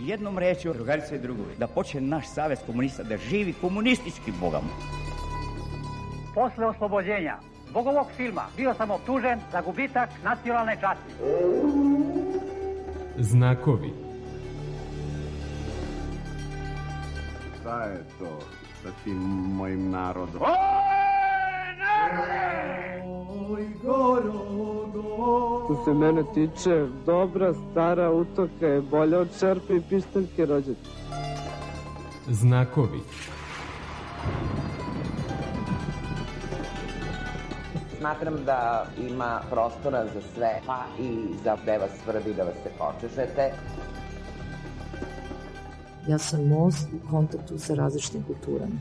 jednom rečju, drugarice i drugovi, da počne naš savez komunista da živi komunistički bogom. Posle oslobođenja zbog ovog filma bio sam optužen za gubitak nacionalne časti. Znakovi. Šta je to sa tim mojim narodom? Što se mene tiče, dobra stara utoka je bolja od šerpe i pištaljke rođaka. Znakovi. Smatram da ima prostora za sve, pa i za gde vas svrbi da vas se počešete. Ja sam most u kontaktu sa različitim kulturama.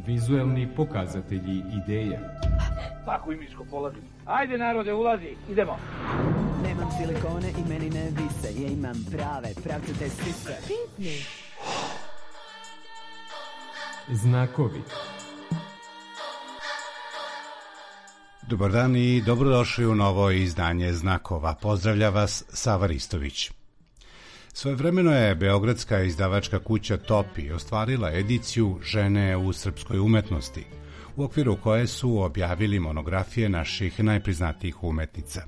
Vizuelni pokazatelji ideja. Tako i miško polazi. Ajde narode, ulazi, idemo. Nemam silikone i meni ne vise, ja imam prave, pravcate sise. Pitni. Znakovi. Dobar dan i dobrodošli u novo izdanje Znakova. Pozdravlja vas Sava Ristović. Svojevremeno je beogradska izdavačka kuća Topi ostvarila ediciju Žene u srpskoj umetnosti, u okviru koje su objavili monografije naših najpriznatijih umetnica.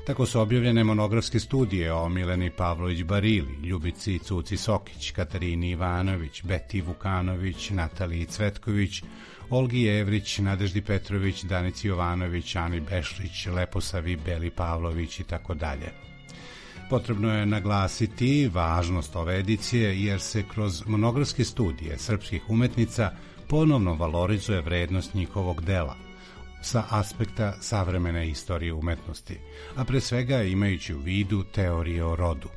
Tako su objavljene monografske studije o Mileni Pavlović Barili, Ljubici Cuci Sokić, Katarini Ivanović, Beti Vukanović, Nataliji Cvetković, Olgi Jevrić, Nadeždi Petrović, Danici Jovanović, Ani Bešlić, Leposavi Beli Pavlović i tako dalje. Potrebno je naglasiti važnost ove edicije jer se kroz monografske studije srpskih umetnica ponovno valorizuje vrednost njihovog dela sa aspekta savremene istorije umetnosti, a pre svega imajući u vidu teorije o rodu.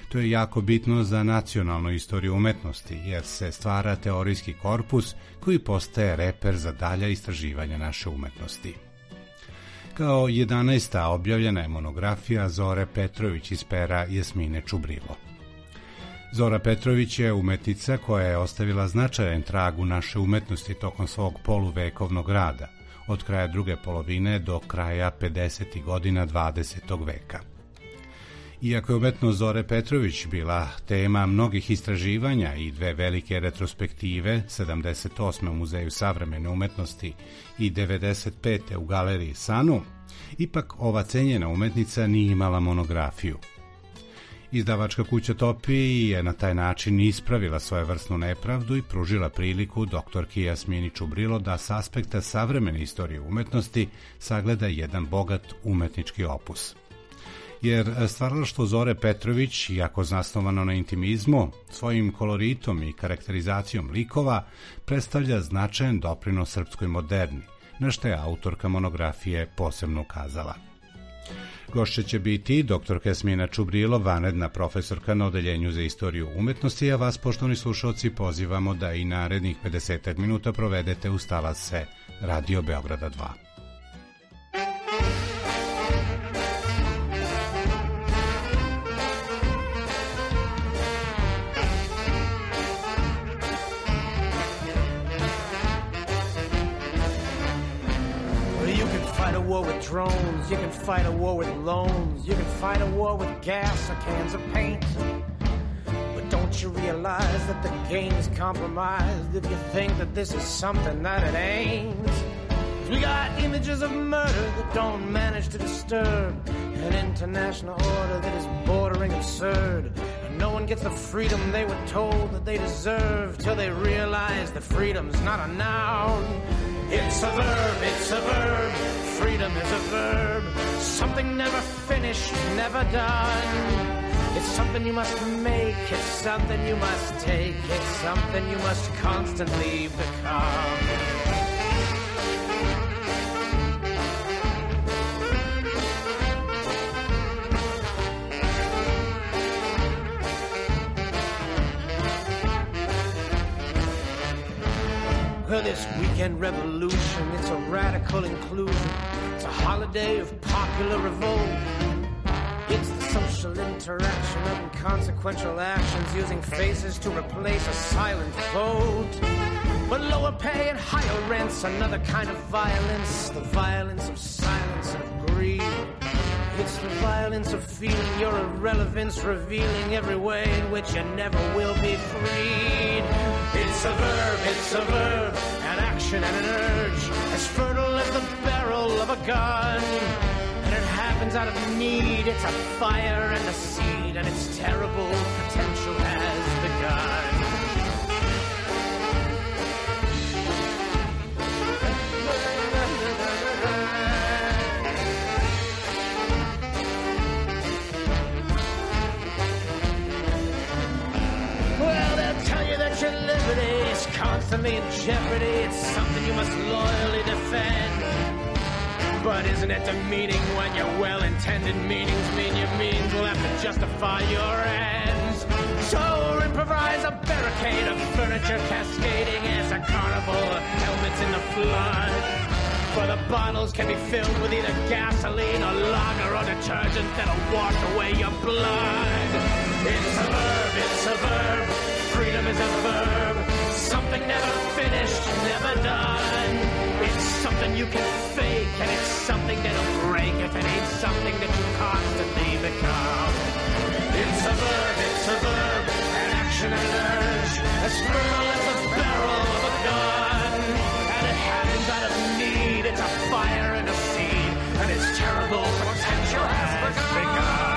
To je jako bitno za nacionalnu istoriju umetnosti jer se stvara teorijski korpus koji postaje reper za dalja istraživanja naše umetnosti. Kao 11. objavljena je monografija Zore Petrović iz pera Jasmine Čubrilo. Zora Petrović je umetnica koja je ostavila značajan trag u naše umetnosti tokom svog poluvekovnog rada, od kraja druge polovine do kraja 50. godina 20. veka. Iako je umetnost Zore Petrović bila tema mnogih istraživanja i dve velike retrospektive, 78. u Muzeju savremene umetnosti i 95. u Galeriji Sanu, ipak ova cenjena umetnica nije imala monografiju. Izdavačka kuća Topi je na taj način ispravila svojevrsnu nepravdu i pružila priliku doktorki Jasmini Čubrilo da s aspekta savremene istorije umetnosti sagleda jedan bogat umetnički opus. Jer stvaralaštvo Zore Petrović, iako zasnovano na intimizmu, svojim koloritom i karakterizacijom likova, predstavlja značajan doprinos srpskoj moderni, na što je autorka monografije posebno ukazala. Gošća će biti doktorka Jasmina Čubrilo, vanredna profesorka na Odeljenju za istoriju umetnosti, a vas, poštovani slušalci, pozivamo da i narednih 50 minuta provedete uz talase Radio Beograda 2. War with drones, you can fight a war with loans, you can fight a war with gas or cans of paint. But don't you realize that the game is compromised if you think that this is something that it ain't? We got images of murder that don't manage to disturb an international order that is bordering absurd. And no one gets the freedom they were told that they deserve till they realize that freedom's not a noun. It's a verb, it's a verb. Freedom is a verb, something never finished, never done. It's something you must make, it's something you must take, it's something you must constantly become. Well, this weekend revolution, it's a radical inclusion. It's a holiday of popular revolt. It's the social interaction of inconsequential actions using faces to replace a silent vote. But lower pay and higher rents, another kind of violence, the violence of silence and of greed. It's the violence of feeling your irrelevance, revealing every way in which you never will be freed. It's a verb, an action and an urge, as fertile as the barrel of a gun. And it happens out of need, it's a fire and a seed, and its terrible potential has begun. Your liberty is constantly in jeopardy. It's something you must loyally defend. But isn't it demeaning when your well-intended meanings mean your means will have to justify your ends? So improvise a barricade of furniture cascading as a carnival of helmets in the flood. For the bottles can be filled with either gasoline or lager or detergent that'll wash away your blood. It's a verb. Freedom is a verb, something never finished, never done. It's something you can fake, and it's something that'll break if it ain't something that you constantly become. It's a verb, an action and an urge, as fertile as the barrel of a gun. And it happens out of need, it's a fire and a seed, and its terrible potential has begun.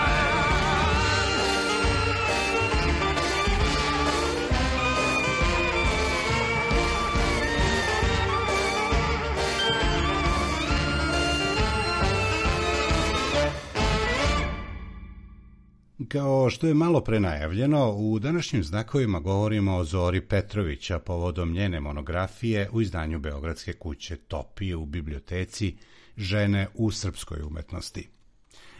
Kao što je malo pre najavljeno, u današnjim znakovima govorimo o Zori Petrović, a povodom njene monografije u izdanju Beogradske kuće Topi u biblioteci Žene u srpskoj umetnosti.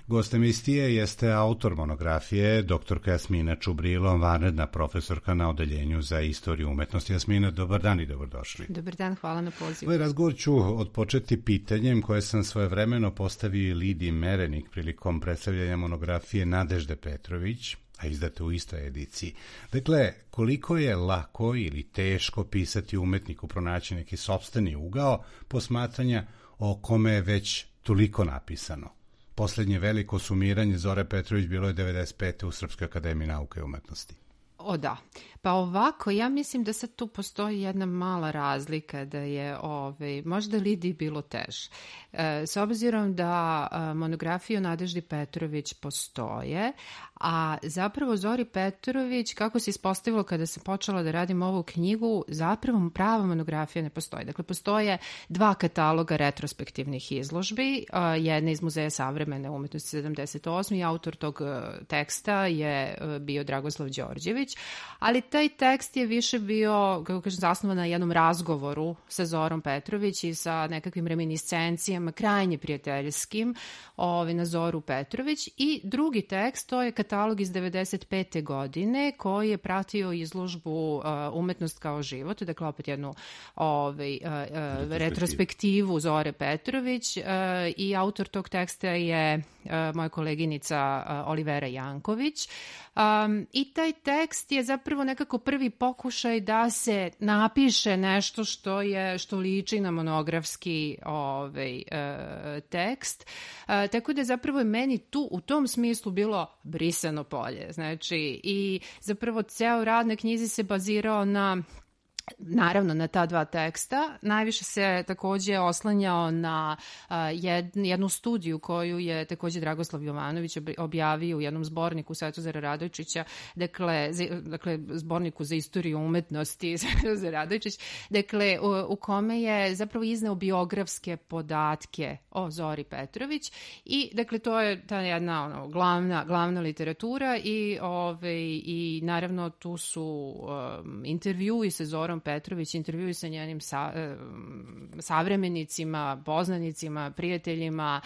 Gost emisije jeste autor monografije, doktorka Jasmina Čubrilo, vanredna profesorka na Odeljenju za istoriju umetnosti. Jasmina, dobar dan i dobrodošli. Dobar dan, hvala na pozivu. Ovaj razgovor ću odpočeti pitanjem koje sam svojevremeno postavio Lidiji Merenik prilikom predstavljanja monografije Nadežde Petrović, a izdate u istoj ediciji. Dakle, koliko je lako ili teško pisati umetniku, pronaći neki sopstveni ugao posmatranja o kome je već toliko napisano? Poslednje veliko sumiranje Zore Petrović bilo je 95. u Srpskoj akademiji nauke i umetnosti. O da, pa ovako, ja mislim da sad tu postoji jedna mala razlika, da je možda Lidiji bilo teže. S obzirom da monografije o Nadeždi Petrović postoje, a zapravo Zori Petrović, kako se ispostavilo kada sam počela da radim ovu knjigu, zapravo prava monografija ne postoji. Dakle, postoje dva kataloga retrospektivnih izložbi, jedna iz Muzeja savremene umetnosti 78. i autor tog teksta je bio Dragoslav Đorđević, ali taj tekst je više bio, kako kažem, zasnovan na jednom razgovoru sa Zorom Petrović i sa nekakvim reminiscencijama, krajnje prijateljskim, na Zoru Petrović. I drugi tekst, to je katalog iz 95. godine koji je pratio izložbu Umetnost kao život, dakle opet jednu retrospektivu Zore Petrović, i autor tog teksta je moja koleginica Olivera Janković. I taj tekst je zapravo nekako prvi pokušaj da se napiše nešto što liči na monografski tekst. Tako da zapravo je meni tu u tom smislu bilo brisano polje. Znači, i zapravo ceo rad na knjizi se bazirao naravno na ta dva teksta. Najviše se takođe oslanjao na jednu studiju koju je takođe Dragoslav Jovanović objavio u jednom zborniku Svetozara Radojčića, dakle zborniku za istoriju umetnosti Svetozar Radojčić, dakle u kome je zapravo izneo biografske podatke o Zori Petrović i dakle to je ta jedna glavna literatura i naravno tu su intervjui sa Zorom Petrović, intervjui sa njenim savremenicima, poznanicima, prijateljima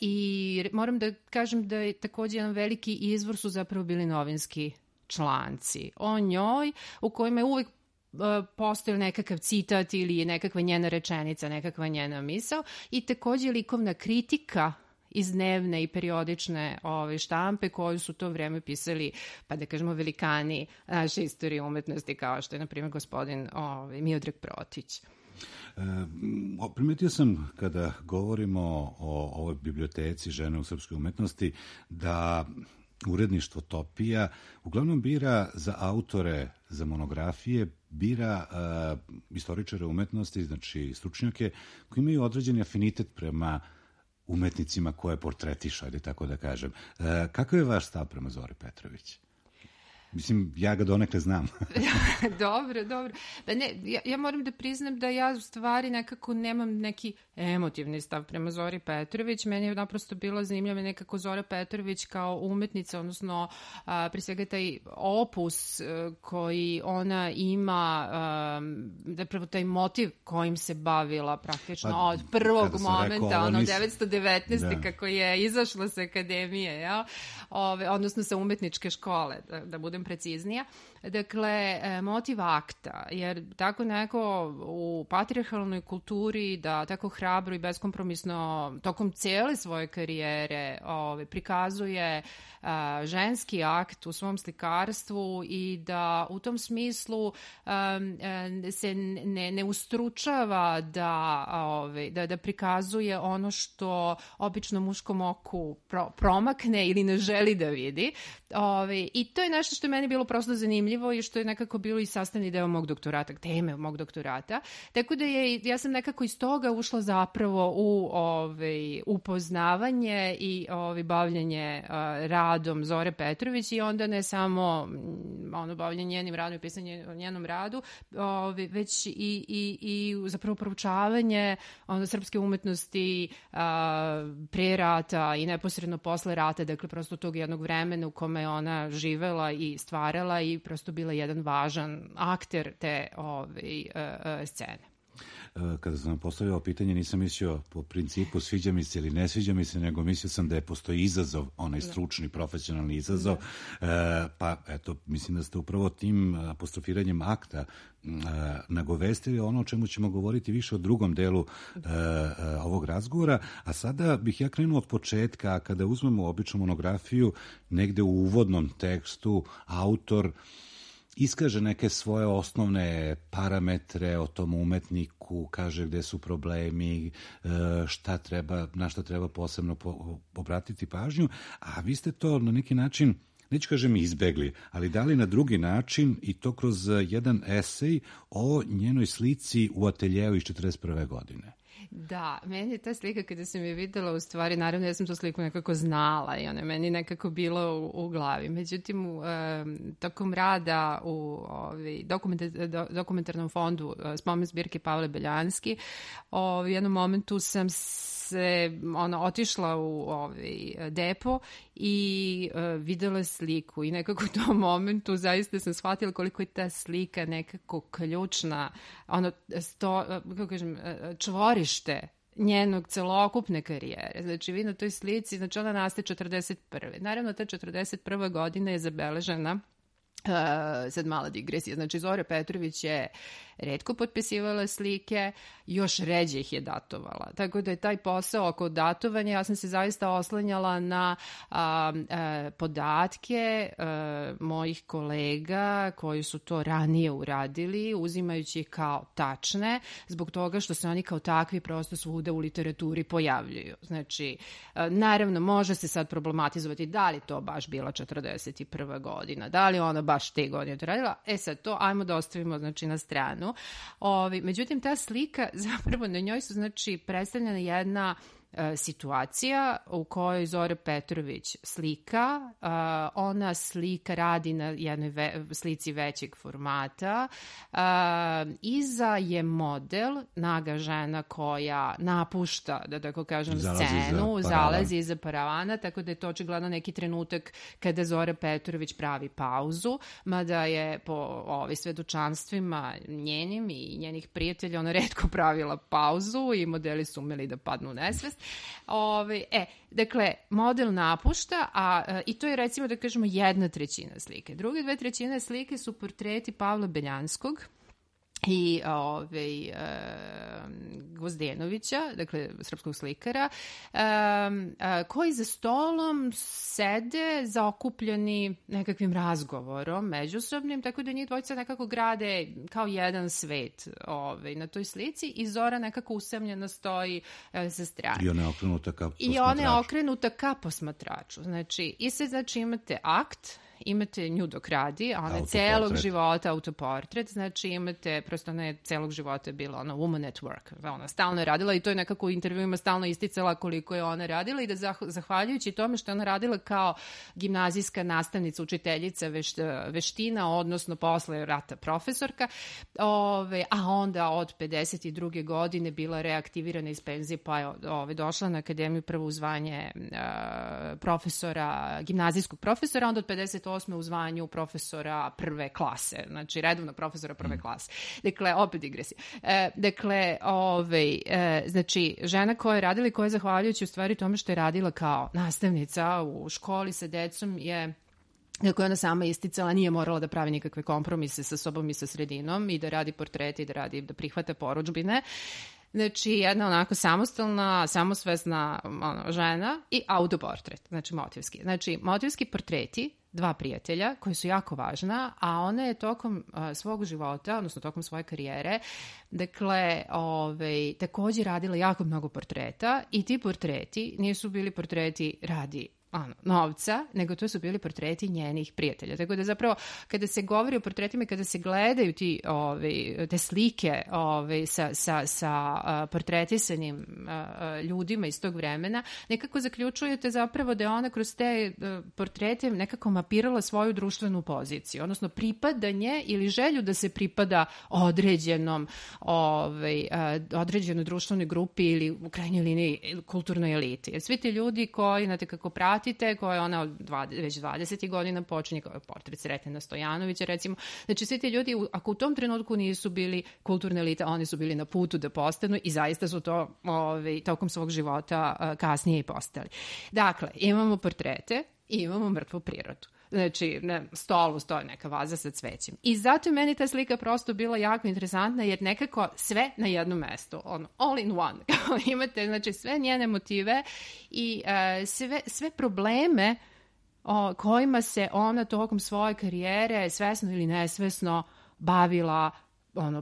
i moram da kažem da je takođe jedan veliki izvor su zapravo bili novinski članci o njoj u kojima je uvek postoji nekakav citat ili nekakva njena rečenica, nekakva njena misao i takođe likovna kritika iz dnevne i periodične štampe koju su to vreme pisali, pa da kažemo, velikani naše istorije umetnosti, kao što je, na primjer, gospodin Miodrag Protić. Primetio sam, kada govorimo o ovoj biblioteci žene u srpskoj umetnosti, da uredništvo Topija uglavnom bira za autore, za monografije, bira istoričare umetnosti, znači stručnjake, koji imaju određeni afinitet prema umetnicima koje portretišu, ajde tako da kažem. Kakav je vaš stav prema Zori Petrović? Mislim, ja ga donekle znam. Dobro. Pa ne, ja moram da priznam da ja u stvari nekako nemam neki emotivni stav prema Zori Petrović. Meni je naprosto bila zanimljiva nekako Zora Petrović kao umetnica, odnosno pre svega taj opus koji ona ima, zapravo taj motiv kojim se bavila praktično od prvog momenta, 1919. kako je izašla sa akademije, odnosno sa umetničke škole, da budem preciznija. Dakle, motiv akta, jer tako neko u patrijarhalnoj kulturi da tako hrabro i beskompromisno tokom cijele svoje karijere prikazuje ženski akt u svom slikarstvu i da u tom smislu se ne ustručava da prikazuje ono što obično muškom oku promakne ili ne želi da vidi. I to je nešto što je meni bilo prosto zanimljivo i što je nekako bilo i sastavni deo mog doktorata, teme mog doktorata. Tako da ja sam nekako iz toga ušla zapravo u upoznavanje i bavljanje radom Zore Petrović i onda ne samo bavljanje njenim radom i pisanje o njenom radu, već i zapravo proučavanje srpske umetnosti pre rata i neposredno posle rata, dakle prosto tog jednog vremena u kome je ona živela i stvarala i prosto bila jedan važan akter te scene. Kada sam vam postavio pitanje, nisam mislio po principu sviđa mi se ili ne sviđa mi se, nego mislio sam da postoji izazov, onaj stručni, profesionalni izazov, pa eto, mislim da ste upravo tim apostrofiranjem akta nagovestili ono o čemu ćemo govoriti više o drugom delu ovog razgovora, a sada bih ja krenuo od početka. Kada uzmemo običnu monografiju, negde u uvodnom tekstu autor iskaže neke svoje osnovne parametre o tom umetniku, kaže gde su problemi, na šta treba posebno obratiti pažnju, a vi ste to na neki način, neću kažem izbegli, ali dali na drugi način i to kroz jedan esej o njenoj slici u ateljeu iz 1941. godine. Da, meni je ta slika kada sam je videla, u stvari, naravno ja sam tu sliku nekako znala i ona je meni nekako bila u glavi. Međutim, tokom rada u dokumentarnom fondu Spomen zbirke Pavle Beljanski, u jednom momentu sam se otišla u depo i videla sliku i nekako u tom momentu zaista sam shvatila koliko je ta slika nekako ključna, čvorište njenog celokupne karijere. Znači, vi na toj slici, znači ona nastaje 1941. Naravno, ta 1941. godina je zabeležena, sad mala digresija, znači Zora Petrović je retko potpisivala slike, još ređe ih je datovala. Tako da je taj posao oko datovanja, ja sam se zaista oslanjala na podatke mojih kolega koji su to ranije uradili, uzimajući ih kao tačne, zbog toga što se oni kao takvi prosto svuda u literaturi pojavljuju. Znači, naravno, može se sad problematizovati da li to baš bila 41. godina, da li ona baš te godine to radila. Sad to ajmo da ostavimo, znači, na stranu. Međutim, ta slika, zapravo na njoj su, znači, predstavljena jedna situacija u kojoj Zora Petrović slika. Ona slika radi na jednoj slici većeg formata. Iza je model, naga žena koja napušta, da tako kažem, scenu, zalazi iza paravana, tako da je to očigledno neki trenutak kada Zora Petrović pravi pauzu, mada je po svedočanstvima njenim i njenih prijatelja ona retko pravila pauzu i modeli su umeli da padnu u nesvest. Dakle, model napušta, i to je, recimo, da kažemo, 1/3 slike. Druge 2/3 slike su portreti Pavla Beljanskog i Gvozdenovića, dakle srpskog slikara, koji za stolom sede zaokupljeni nekakvim razgovorom međusobnim, tako da njih dvojica nekako grade kao jedan svet na toj slici i Zora nekako usamljena stoji sa strane. I ona je okrenuta ka posmatraču. I ona je okrenuta ka posmatraču. Znači, i sad imate akt, imate nju dok radi, a ona je celog života autoportret, znači imate, prosto ona je celog života bila woman at work, ona stalno je radila i to je nekako u intervjuima stalno isticala koliko je ona radila i da zahvaljujući tome što je ona radila kao gimnazijska nastavnica, učiteljica veština, odnosno posle rata profesorka, a onda od 52. godine bila reaktivirana iz penzije, pa je došla na akademiju prvo u zvanje profesora, gimnazijskog profesora, onda od 58. u zvanju profesora prve klase, znači redovnog profesora prve klase. Dakle, opet digresija. Znači, žena koja je radila i koja je zahvaljujući u stvari tome što je radila kao nastavnica u školi sa decom je, kako je ona sama isticala, nije morala da pravi nikakve kompromise sa sobom i sa sredinom i da radi portrete i da prihvata porudžbine. Znači, jedna onako samostalna, samosvesna žena i autoportret, znači motivski. Znači, motivski portreti dva prijatelja koji su jako važna, a ona je tokom svog života, odnosno tokom svoje karijere, dakle, također radila jako mnogo portreta i ti portreti nisu bili portreti radi novca, nego to su bili portreti njenih prijatelja. Tako da zapravo kada se govori o portretima i kada se gledaju te slike sa portretisanim ljudima iz tog vremena, nekako zaključujete zapravo da je ona kroz te portrete nekako mapirala svoju društvenu poziciju, odnosno pripadanje ili želju da se pripada određenoj društvenoj grupi ili u krajnjoj liniji kulturnoj eliti. Jer svi ti ljudi koji, znate kako pratite, koja ona već 20. godina počinje, kao portret Sretena Stojanovića, recimo. Znači, svi ti ljudi, ako u tom trenutku nisu bili kulturne elite, oni su bili na putu da postanu i zaista su to tokom svog života kasnije i postali. Dakle, imamo portrete i imamo mrtvu prirodu. Znači, na stolu stoji neka vaza sa cvećem. I zato je meni ta slika prosto bila jako interesantna, jer nekako sve na jednom mestu, all in one. Imate, znači, sve njene motive i sve probleme kojima se ona tokom svoje karijere, svesno ili nesvesno, bavila,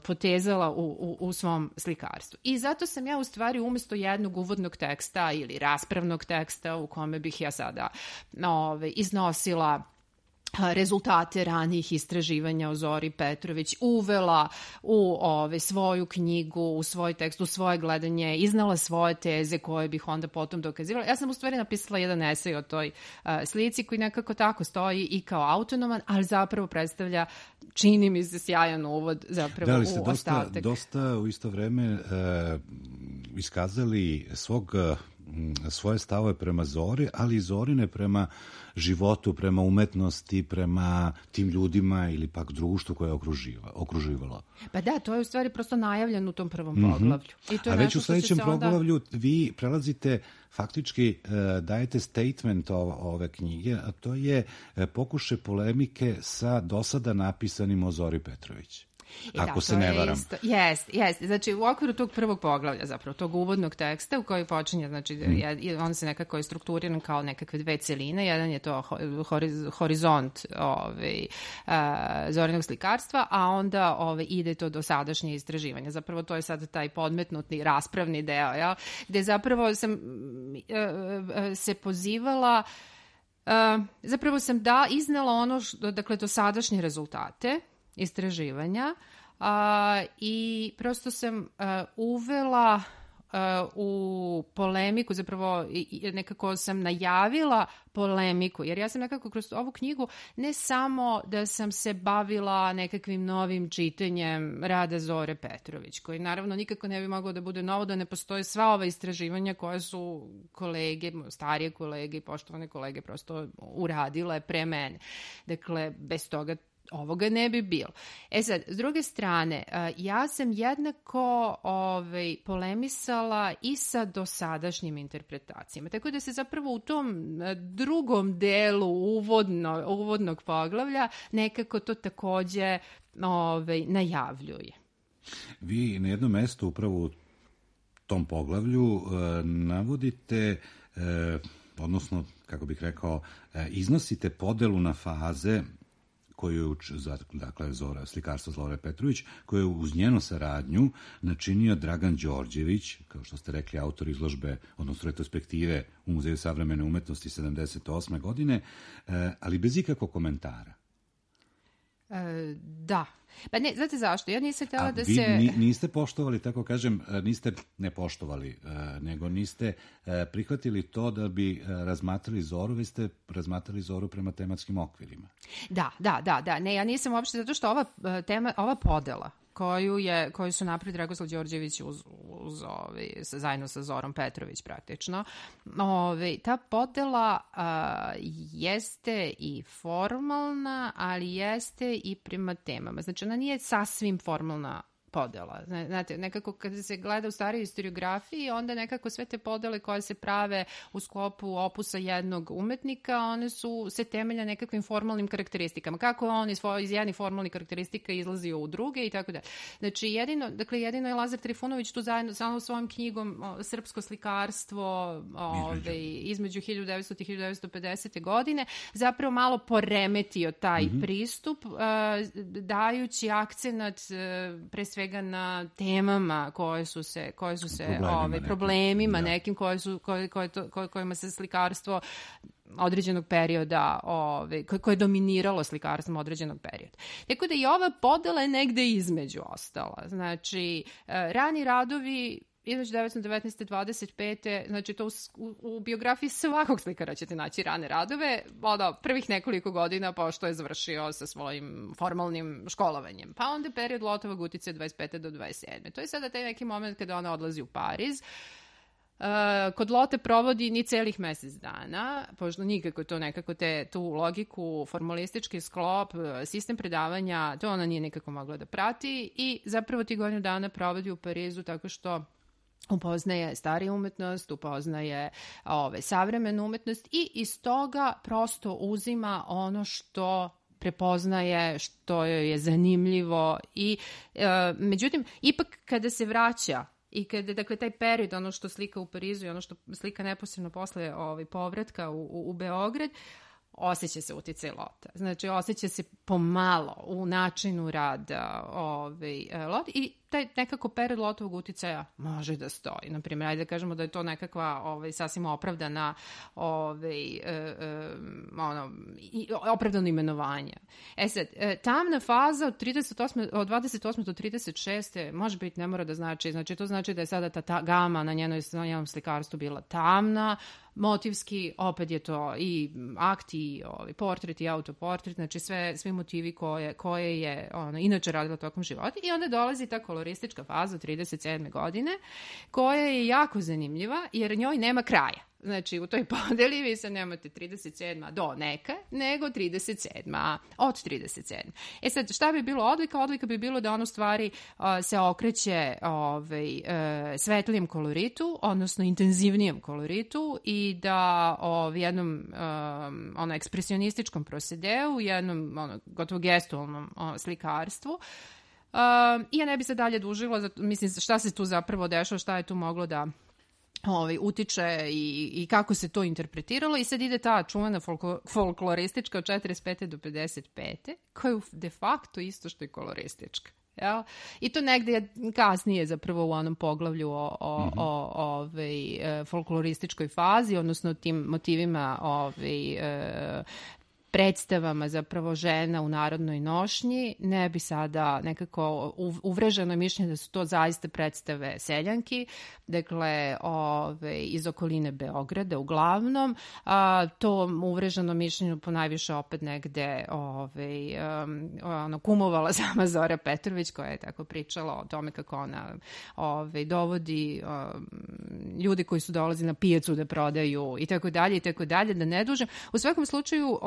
potezala u svom slikarstvu. I zato sam ja u stvari umjesto jednog uvodnog teksta ili raspravnog teksta u kome bih ja sada iznosila rezultate ranijih istraživanja o Zori Petrović, uvela u svoju knjigu, u svoj tekst, u svoje gledanje, iznala svoje teze koje bih onda potom dokazivala. Ja sam u stvari napisala jedan esej o toj slici koji nekako tako stoji i kao autonoman, ali zapravo predstavlja, čini mi se, sjajan uvod zapravo u ostatak. Da, dosta u isto vreme iskazali svoje stavove prema Zori, ali i Zorine prema životu, prema umetnosti, prema tim ljudima ili pak društvu koje je okruživalo. Pa da, to je u stvari prosto najavljeno u tom prvom poglavlju. I to je a već u sljedećem poglavlju vi prelazite, faktički dajete statement ove knjige, a to je pokušaj polemike sa dosada napisanim o Zori Petrović. Ako se ne varam. Jeste. Znači, u okviru tog prvog poglavlja, zapravo, tog uvodnog teksta u koji počinje, znači, on se nekako je strukturiran kao nekakve dve celine. Jedan je to horizont Zorinog slikarstva, a onda ide to do sadašnje istraživanja. Zapravo, to je sad taj podmetnutni raspravni deo, gde zapravo sam se pozivala, zapravo sam iznela dakle, do sadašnje rezultate istraživanja i prosto sam uvela u polemiku, zapravo nekako sam najavila polemiku, jer ja sam nekako kroz ovu knjigu ne samo da sam se bavila nekakvim novim čitanjem rada Zore Petrović, koji naravno nikako ne bi moglo da bude novo da ne postoje sva ova istraživanja koje su kolege, starije kolege i poštovane kolege prosto uradile pre mene. Dakle, bez toga ovoga ne bi bilo. Sad, s druge strane, ja sam jednako polemisala i sa dosadašnjim interpretacijama. Tako da se zapravo u tom drugom delu uvodnog poglavlja nekako to takođe najavljuje. Vi na jednom mestu upravo u tom poglavlju navodite, odnosno, kako bih rekao, iznosite podelu na faze koju, dakle, slikarstvo Zlore Petrović, koju je uz njenu saradnju načinio Dragan Đorđević, kao što ste rekli, autor izložbe, odnosno retrospektive u Muzeju savremene umetnosti 78. godine, ali bez ikakvog komentara. Da. Pa ne, znate zašto? Ja nisam htjela da vi se... niste poštovali, tako kažem, niste ne poštovali, nego niste prihvatili to da bi razmatrali Zoru, vi ste razmatrali Zoru prema tematskim okvirima. Da. Ne, ja nisam uopšte, zato što ova podela koju su napravili Dragoslav Đorđević zajedno sa Zorom Petrović praktično. Ta podela jeste i formalna, ali jeste i prema temama. Znači, ona nije sasvim formalna podela. Znate, nekako kada se gleda u starijoj historiografiji, onda nekako sve te podele koje se prave u sklopu opusa jednog umetnika, one se temelja nekakvim formalnim karakteristikama. Kako on iz jednih formalnih karakteristika izlazio u druge i tako da. Znači, jedino je Lazar Trifunović tu zajedno sa svojom knjigom Srpsko slikarstvo između 1900. i 1950. godine zapravo malo poremetio taj pristup, dajući akcenat pre svega na temama koje su se problemima nekim kojima se slikarstvo određenog perioda, koje je dominiralo slikarstvom određenog perioda. Tako da i ova podela je negde između ostala. Znači, rani radovi između 1919. 25. Znači, to u biografiji svakog slikara ćete naći rane radove, prvih nekoliko godina pošto je završio sa svojim formalnim školovanjem. Pa onda period Lotovog uticaja 25. do 27. To je sada taj neki moment kada ona odlazi u Pariz. Kod Lotte provodi ni celih mesec dana, pošto nikako to nekako tu logiku, formalistički sklop, sistem predavanja, to ona nije nikako mogla da prati i zapravo ti godinu dana provodi u Parizu tako što upoznaje stariju umetnost, upoznaje savremenu umetnost i iz toga prosto uzima ono što prepoznaje, što joj je zanimljivo i međutim, ipak kada se vraća i kada, dakle, taj period, ono što slika u Parizu i ono što slika neposredno posle povratka u Beograd, osjeća se uticaj Lotte. Znači, osjeća se pomalo u načinu rada Lotte i taj nekako period Lottovog uticaja može da stoji. Naprimjer, ajde da kažemo da je to nekakva sasvim opravdana opravdano imenovanje. Sad, tamna faza od 28. do 36. može biti, ne mora da znači to znači da je sada ta gama na njenom slikarstvu bila tamna, motivski, opet je to i akt i portret i autoportret, znači svi motivi koje je inače radila tokom života i onda dolazi ta koloristička faza 37. godine koja je jako zanimljiva jer njoj nema kraja. Znači, u toj podeli vi sad nemate 37. do neka, nego 37. od 37. Sad, šta bi bilo odlika? Odlika bi bilo da ono stvari se okreće svetlijem koloritu, odnosno intenzivnijem koloritu i da jednom ekspresionističkom prosedeu, jednom gotovo gestualnom slikarstvu. I ja ne bi se dalje dužila, mislim, šta se tu zapravo dešava, šta je tu moglo da utiče i kako se to interpretiralo i sad ide ta čuvena folkloristička od 45. do 55. koja je de facto isto što je koloristička. Jel? I to negde kasnije zapravo u onom poglavlju o folklorističkoj fazi, odnosno tim motivima predstavama zapravo žena u narodnoj nošnji, ne bi sada nekako uvreženo mišljenje da su to zaista predstave seljanki, dakle iz okoline Beograda uglavnom, to uvreženo mišljenje ponajviše opet negde kumovala sama Zora Petrović koja je tako pričala o tome kako ona dovodi ljudi koji su dolazili na pijacu da prodaju i tako dalje, da ne dužem. U svakom slučaju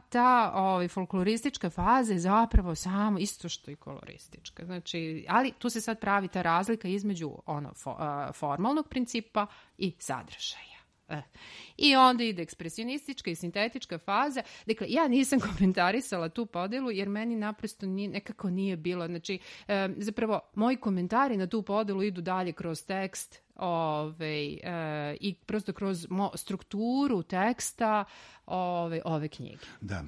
ta folkloristička faza je zapravo samo isto što i koloristička. Znači, ali tu se sad pravi ta razlika između formalnog principa i sadržaja. I onda ide ekspresionistička i sintetička faza. Dakle, ja nisam komentarisala tu podelu jer meni naprosto nekako nije bilo. Znači, zapravo, moji komentari na tu podelu idu dalje kroz tekst i prosto kroz strukturu teksta ove knjige. Da,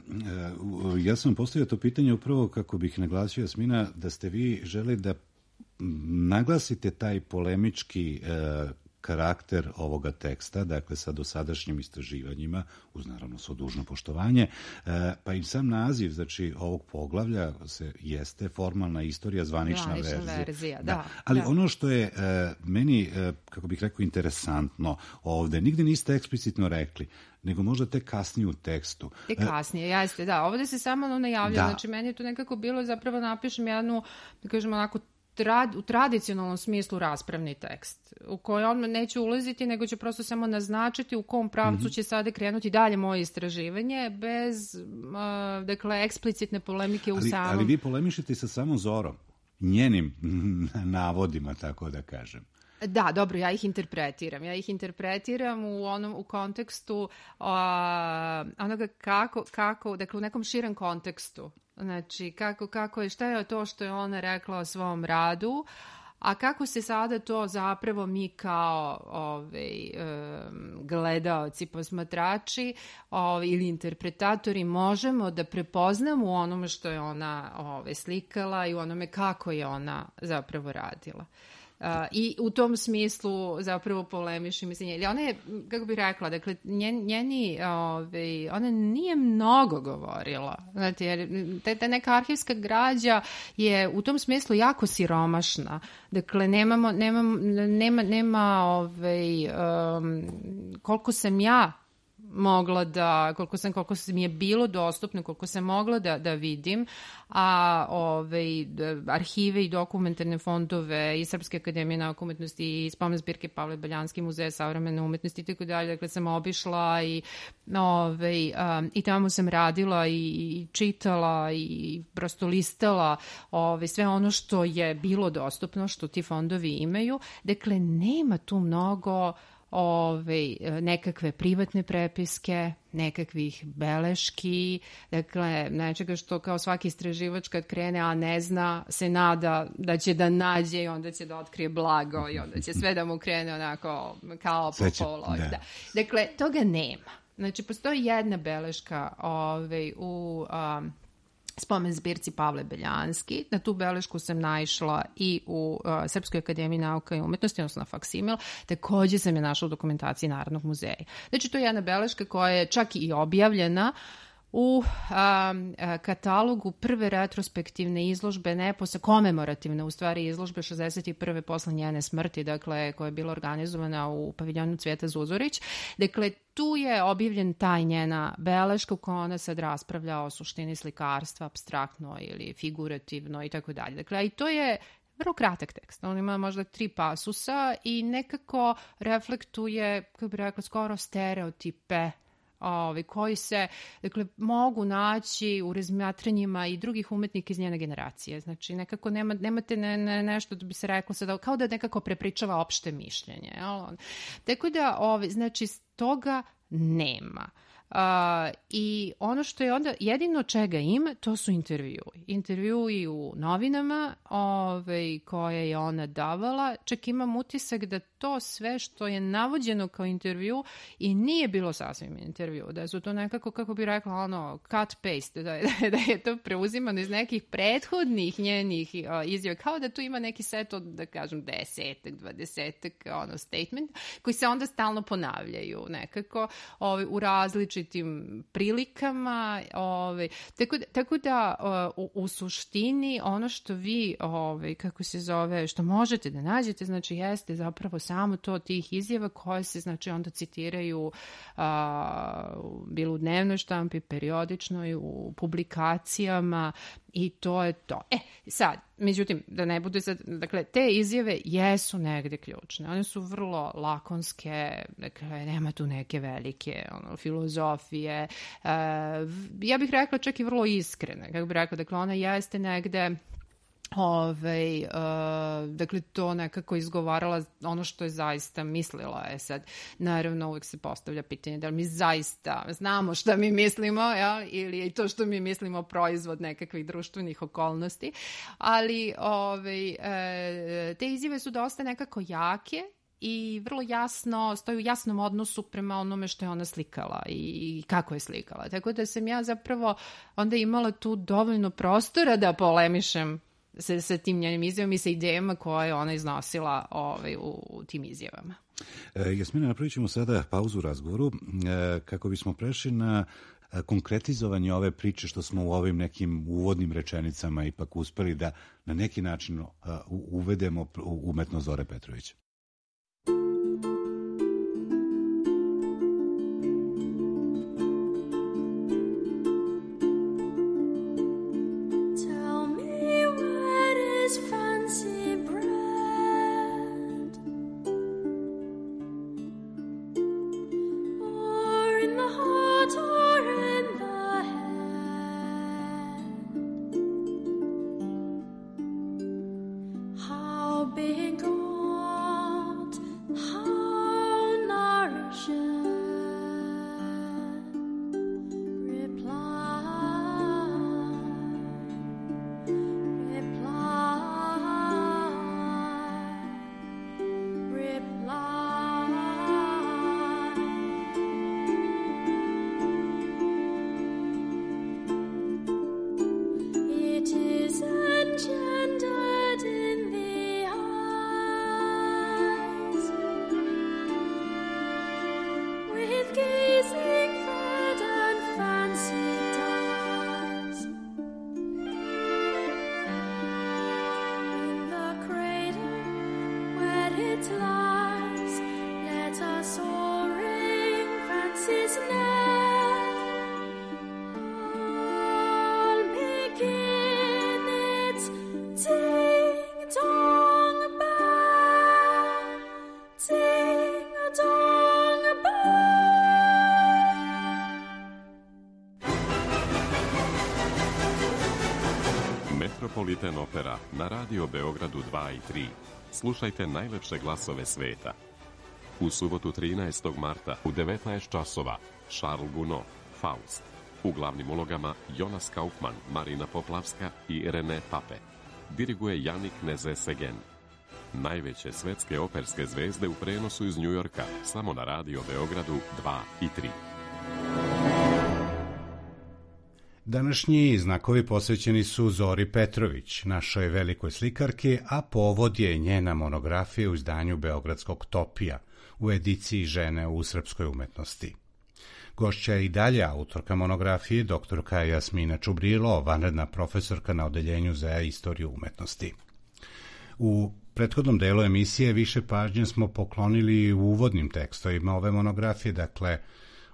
ja sam postavio to pitanje upravo kako bih naglasio, Jasmina, da ste vi želi da naglasite taj polemički karakter ovoga teksta, dakle sa dosadašnjim istraživanjima, uz naravno svo dužno poštovanje, pa i sam naziv, znači ovog poglavlja jeste formalna istorija, zvanična verzija. Da. Ali ono što je meni, kako bih rekao, interesantno ovde, nigde niste eksplicitno rekli, nego možda tek kasnije u tekstu. Tek kasnije, jeste, da. Ovde se samo najavlja, znači meni je to nekako bilo, zapravo napišem jednu, da kažem onako, u tradicionalnom smislu raspravni tekst, u koji on neće ulaziti, nego će prosto samo naznačiti u kom pravcu će sada krenuti dalje moje istraživanje, bez, dakle, eksplicitne polemike u samom... Ali vi polemišete sa samom Zorom, njenim navodima, tako da kažem. Da, dobro, ja ih interpretiram. Ja ih interpretiram u kontekstu onoga kako, dakle, u nekom širem kontekstu. Znači, kako je, šta je to što je ona rekla o svom radu, a kako se sada to zapravo mi kao gledaoci, posmatrači ili interpretatori možemo da prepoznamo u onome što je ona slikala i u onome kako je ona zapravo radila. I u tom smislu zapravo polemišem, mislim, ona je, kako bih rekla, dakle, ona nije mnogo govorila, znate, jer ta neka arhivska građa je u tom smislu jako siromašna, dakle, nema koliko sam ja mogla da, koliko mi je bilo dostupno, koliko sam mogla da vidim, a arhive i dokumentarne fondove i Srpske akademije nauke i umetnosti i spomen zbirke Pavle Beljanski, Muzeja savremene umetnosti i tako dalje, dakle sam obišla i tamo sam radila i čitala i prosto listala sve ono što je bilo dostupno, što ti fondovi imaju, dakle nema tu mnogo nekakve privatne prepiske, nekakvih beleški, dakle, nečega što kao svaki istraživač kad krene, a ne zna, se nada da će da nađe i onda će da otkrije blago i onda će sve da mu krene onako kao po poloj. Da. Dakle, toga nema. Znači, postoji jedna beleška u spomen zbirci Pavle Beljanski. Na tu belešku sam naišla i u Srpskoj akademiji nauka i umetnosti, odnosno na faksimil. Takođe sam je našla u dokumentaciji Narodnog muzeja. Znači, to je jedna beleška koja je čak i objavljena u katalogu prve retrospektivne izložbe, komemorativne u stvari izložbe 61. posle njene smrti, dakle, koja je bila organizovana u paviljonu Cvijeta Zuzorić. Dakle, tu je objavljen taj njena beleška u kojoj ona sad raspravlja o suštini slikarstva, apstraktno ili figurativno i tako dalje. Dakle, i to je vrlo kratak tekst. On ima možda 3 pasusa i nekako reflektuje, kako bi rekla, skoro stereotipe koji se, dakle, mogu naći u razmatranjima i drugih umetnika iz njene generacije. Znači, nekako nemate nešto da bi se reklo sada, kao da nekako prepričava opšte mišljenje. Tako da, znači, toga nema. I ono što je onda jedino čega ima, to su intervjui u novinama koje je ona davala. Čak imam utisak da to sve što je navođeno kao intervju i nije bilo sasvim intervju, da su to nekako, kako bi rekla, cut paste, da je to preuzimano iz nekih prethodnih njenih izjava, kao da tu ima neki set od, da kažem, 10-20 statement koji se onda stalno ponavljaju nekako u različitim prilikama. Tako da u suštini ono što vi, kako se zove, što možete da nađete, znači jeste zapravo samo to tih izjava koje se, znači, onda citiraju bilo u dnevnoj štampi, periodičnoj, u publikacijama i to je to. Sad, međutim, da ne bude sad, dakle, te izjave jesu negde ključne. One su vrlo lakonske, dakle, nema tu neke velike filozofije. Ja bih rekla čak i vrlo iskrene, kako bih rekla, dakle, ona jeste negde Dakle, to nekako izgovarala ono što je zaista mislila. Sad, naravno, uvijek se postavlja pitanje da li mi zaista znamo šta mi mislimo, ili je to što mi mislimo proizvod nekakvih društvenih okolnosti. Ali te izjave su dosta nekako jake i vrlo jasno, stoji u jasnom odnosu prema onome što je ona slikala i kako je slikala. Tako da sam ja zapravo onda imala tu dovoljno prostora da polemišem sa tim njenim izjavama i sa idejama koje je ona iznosila u tim izjavama. Jasmina, napravit ćemo sada pauzu u razgovoru kako bismo prešli na konkretizovanje ove priče što smo u ovim nekim uvodnim rečenicama ipak uspeli da na neki način uvedemo umetnost Zore Petrović. Metropolitan Opera na Radio Beogradu 2 i 3. Slušajte najlepše glasove sveta. U subotu 13. marta u 19 časova Charles Gounod, Faust. U glavnim ulogama Jonas Kaufmann, Marina Poplavska i René Pape. Diriguje Janik Neze-Segen. Najveće svetske operske zvezde u prenosu iz Njujorka, samo na Radio Beogradu 2 i 3. Današnji znakovi posvećeni su Zori Petrović, našoj velikoj slikarki, a povod je njena monografija u izdanju Beogradskog Topija u ediciji Žene u srpskoj umetnosti. Gošća je i dalje autorka monografije, doktorka Jasmina Čubrilo, vanredna profesorka na Odeljenju za istoriju umetnosti. U prethodnom delu emisije više pažnje smo poklonili u uvodnim tekstovima ove monografije, dakle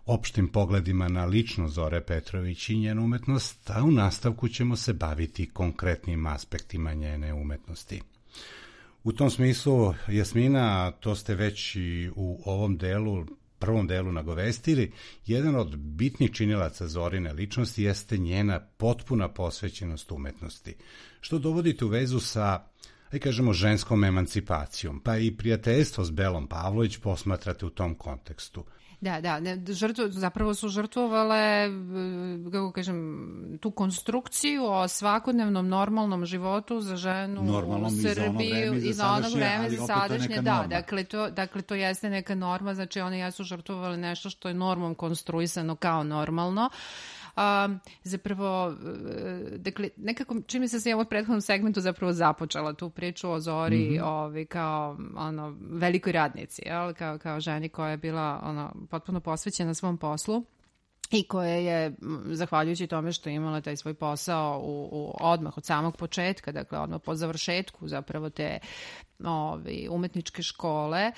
opštim pogledima na ličnost Zore Petrović i njenu umetnost, a u nastavku ćemo se baviti konkretnim aspektima njene umetnosti. U tom smislu, Jasmina, to ste već i u ovom prvom delu nagovestili, jedan od bitnih činilaca Zorine ličnosti jeste njena potpuna posvećenost umetnosti, što dovodite u vezu sa, kažemo, ženskom emancipacijom, pa i prijateljstvo s Belom Pavlović posmatrate u tom kontekstu. Da, zapravo su žrtvovale, kako kažem, tu konstrukciju o svakodnevnom normalnom životu za ženu u Srbiji i za ono vreme za sadašnje. Da, dakle, to jeste neka norma, znači one jesu žrtvovale nešto što je normom konstruisano kao normalno. Zapravo, dakle, nekako čini se u ovom prethodnom segmentu zapravo započela tu priču o Zori kao velikoj radnici, kao ženi koja je bila potpuno posvećena svom poslu i koja je, zahvaljujući tome što je imala taj svoj posao odmah od samog početka, dakle odmah po završetku zapravo te umetničke škole,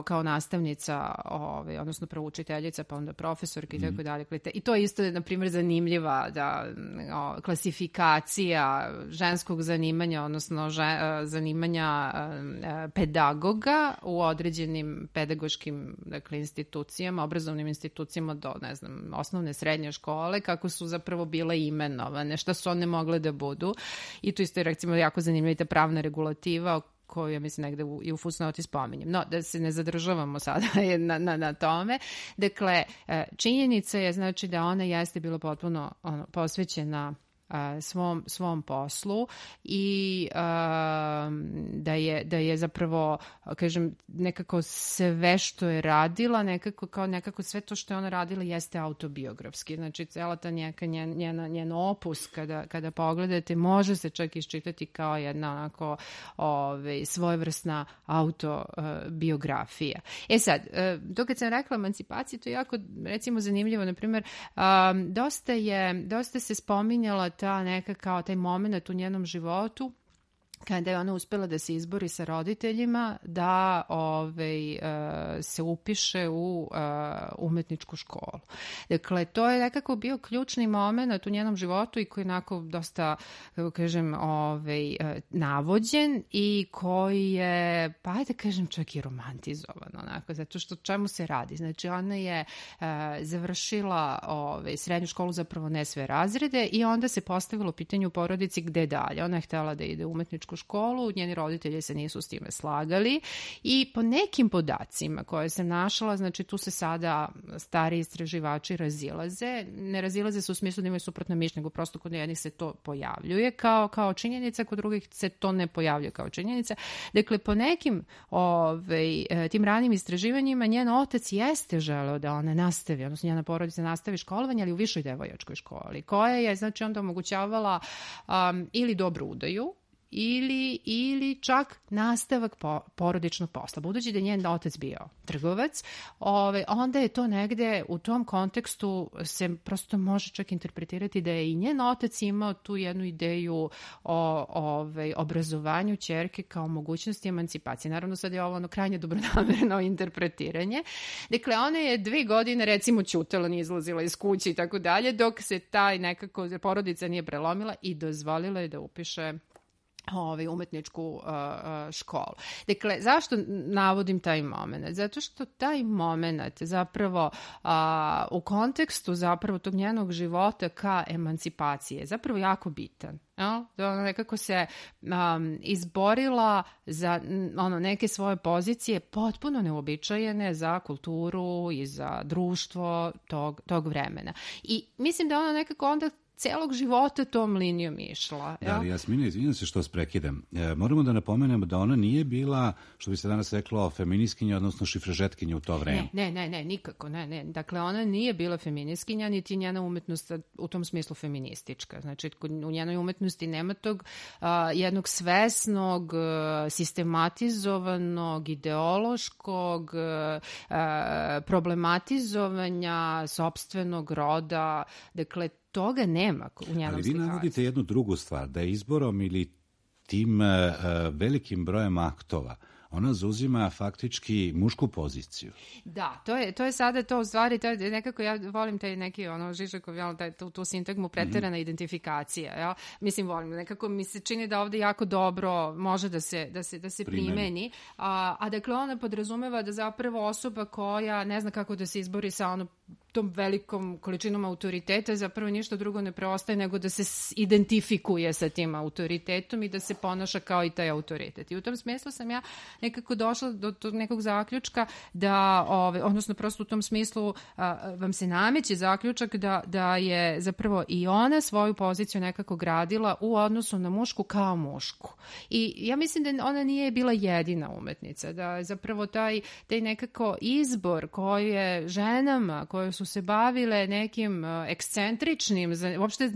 kao nastavnica, odnosno prvo učiteljica, pa onda profesorka i tako dalje. I to je isto, na primjer, zanimljiva klasifikacija ženskog zanimanja, odnosno zanimanja pedagoga u određenim pedagoškim, dakle, institucijama, obrazovnim institucijama do, ne znam, osnovne, srednje škole, kako su zapravo bile imenovane, šta su one mogle da budu. I tu isto je, recimo, jako zanimljiva ta pravna regulativa koju, ja mislim, negde i u fusnoti spominjem. No, da se ne zadržavamo sada na tome. Dakle, činjenica je, znači, da ona jeste bila potpuno posvećena svom poslu i da je zapravo, kažem, nekako sve što je radila, nekako sve to što je ona radila jeste autobiografski. Znači, cela ta njen opus, kada pogledate, može se čak iščitati kao jedna onako svojevrsna autobiografija. Sad, to kad sam rekla emancipaciji, to je jako, recimo, zanimljivo. Naprimjer, dosta se spominjala ta neka kao taj moment u njenom životu kada je ona uspela da se izbori sa roditeljima da se upiše u umetničku školu. Dakle, to je nekako bio ključni moment u njenom životu i koji je onako dosta, kako kažem, navođen i koji je, pa ajde kažem, čak i romantizovan, onako, zato što čemu se radi. Znači, ona je završila srednju školu, zapravo ne sve razrede, i onda se postavilo pitanje u porodici gde dalje. Ona je htela da ide u umetničku školu, njeni roditelji se nisu s time slagali i po nekim podacima koje sam našla, znači tu se sada stari istraživači razilaze. Ne razilaze se u smislu da imaju suprotno mišljenje, nego prosto kod jednih se to pojavljuje kao činjenica, kod drugih se to ne pojavljuje kao činjenica. Dakle, po nekim tim ranim istraživanjima njen otac jeste želeo da ona nastavi, odnosno njena porodica nastavi školovanje, ali u višoj devojačkoj školi, koja je, znači, onda omogućavala ili dobru udaju, ili čak nastavak porodičnog posla. Budući da je njen otac bio trgovac, onda je to negde u tom kontekstu se prosto može čak interpretirati da je i njen otac imao tu jednu ideju o obrazovanju ćerke kao mogućnosti emancipacije. Naravno, sad je ovo krajnje dobronamerno interpretiranje. Dakle, ona je 2 godine, recimo, ćutala, nije izlazila iz kuće i tako dalje, dok se taj nekako porodica nije prelomila i dozvolila je da upiše umetničku školu. Dakle, zašto navodim taj moment? Zato što taj moment zapravo u kontekstu zapravo tog njenog života ka emancipaciji je zapravo jako bitan. Da ona nekako se izborila za neke svoje pozicije potpuno neuobičajene za kulturu i za društvo tog vremena. I mislim da ona nekako onda celog života tom linijom išla. Da, ali Jasmina, izvinjam se što vas prekidam. Moramo da napomenemo da ona nije bila, što bi se danas reklo, feministkinja, odnosno šifrežetkinja u to vreme. Ne, nikako, ne. Dakle, ona nije bila feministkinja, niti njena umetnost u tom smislu feministička. Znači, u njenoj umetnosti nema tog jednog svesnog, sistematizovanog, ideološkog problematizovanja sopstvenog roda. Dakle, toga nema u njenom ali vi slikaciju. navodite jednu drugu stvar, da je izborom ili tim velikim brojem aktova ona zauzima faktički mušku poziciju. Da, to je sada to u stvari, to je nekako, ja volim taj neki Žižekov, tu sintagmu preterana identifikacija. Ja? Mislim, volim, nekako mi se čini da ovde jako dobro može da se primeni. A dakle, ona podrazumeva da zapravo osoba koja ne zna kako da se izbori sa tom velikom količinom autoriteta, zapravo ništa drugo ne preostaje nego da se identifikuje sa tim autoritetom i da se ponaša kao i taj autoritet. I u tom smislu sam ja nekako došla do nekog zaključka da, odnosno prosto u tom smislu vam se nameće zaključak da je zapravo i ona svoju poziciju nekako gradila u odnosu na mušku kao mušku. I ja mislim da ona nije bila jedina umetnica, da je zapravo taj nekako izbor koji je ženama koje su se bavile nekim ekscentričnim, uopšte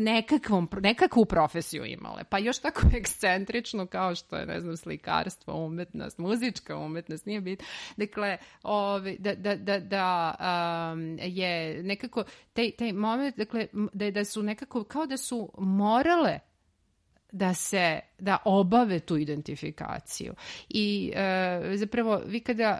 nekakvu profesiju imale, pa još tako ekscentričnu kao što je, ne znam, slikarstvo, umetnost, muzička umetnost, nije bitno. Dakle, da je nekako taj moment, dakle, da su nekako kao da su morale da obave tu identifikaciju. I zapravo vi kada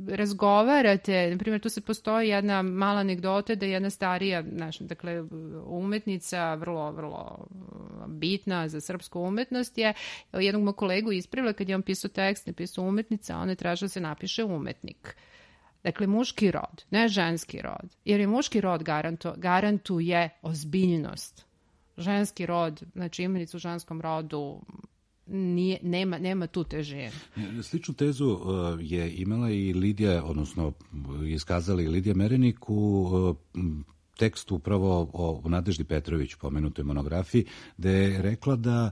razgovarate, na primjer tu se postoji jedna mala anegdota da je jedna starija, dakle umetnica, vrlo, vrlo bitna za srpsku umetnost, je jednog mog kolegu ispravila kad je on pisao tekst, ne pisao umetnica, a on je tražio da se napiše umetnik. Dakle, muški rod, ne ženski rod, jer je muški rod garantuje ozbiljnost. Ženski rod, znači imenica u ženskom rodu nema tu težinu. Sličnu tezu je imala i Lidija, odnosno iskazala i Lidija Merenik u tekstu upravo o Nadeždi Petrović, pomenutoj monografiji, gde je rekla da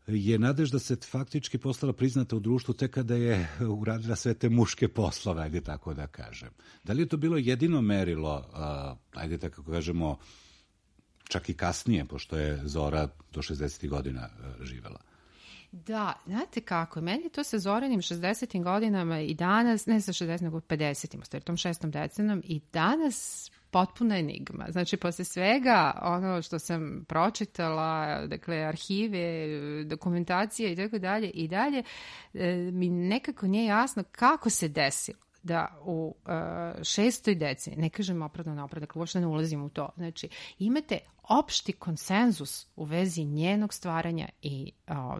je Nadežda se faktički postala priznata u društvu tek kada je uradila sve te muške poslove, ajde tako da kažem. Da li je to bilo jedino merilo, ajde tako kažemo, čak i kasnije, pošto je Zora do 60. godina živela? Da, znate kako, meni to sa Zoranim 60. godinama i danas, ne sa 60. nego 50. tom 6. decenijom i danas potpuna enigma. Znači, posle svega ono što sam pročitala, dakle, arhive, dokumentacije i dalje, mi nekako nije jasno kako se desilo da u 6. deceniji, ne kažem opravdano, dakle, uopšte ne ulazim u to, znači, imate opšti konsenzus u vezi njenog stvaranja i